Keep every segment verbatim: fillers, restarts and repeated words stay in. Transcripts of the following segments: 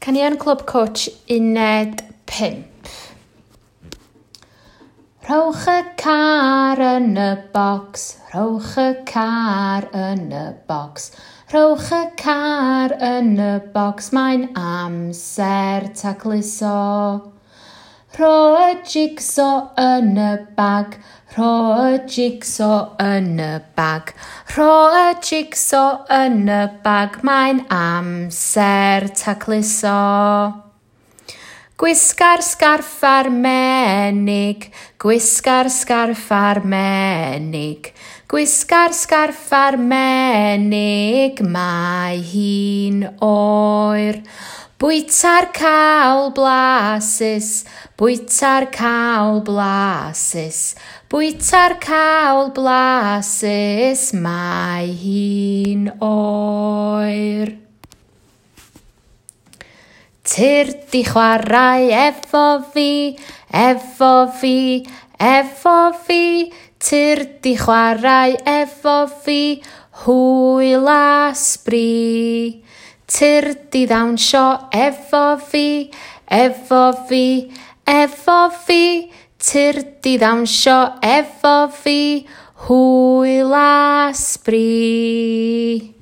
Caneuon Clwb Cwtch uned pump. Rhowch y car yn y bocs, rhowch y car yn y bocs, rhowch y car yn y bocs, mae'n amser tacluso. Rho y jigso yn y bag, rho y jigso yn y bag, rho y jigso yn y bag, mae'n amser tacluso. Gwisga'r sgarff a'r menig, gwisga'r sgarff a'r menig, gwisga'r sgarff a'r menig, mae hi'n oer. Bwyta'r cawl blasus, bwyta'r cawl blasus, bwyta'r cawl blasus, mae hi'n oer. Tyrd i chwarae efo fi, efo fi, efo fi, tyrd i chwarae efo fi, hwyl a sbri. Tyrd i ddawnsio efo fi, efo fi, efo fi, tyrd i ddawnsio efo fi, hwyl a sbri.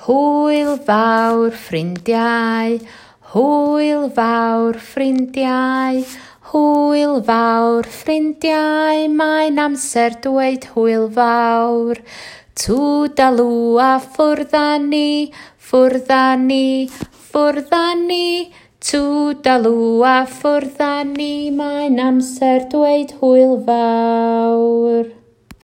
Hwyl fawr ffrindiau, hwyl fawr ffrindiau, hwyl fawr ffrindiau, mae'n amser dweud hwyl fawr. Twdalw a ffwrdd â ni, ffwrdd â ni, ffwrdd â ni, twdalw a ffwrdd â ni, mae'n amser dweud hwyl fawr.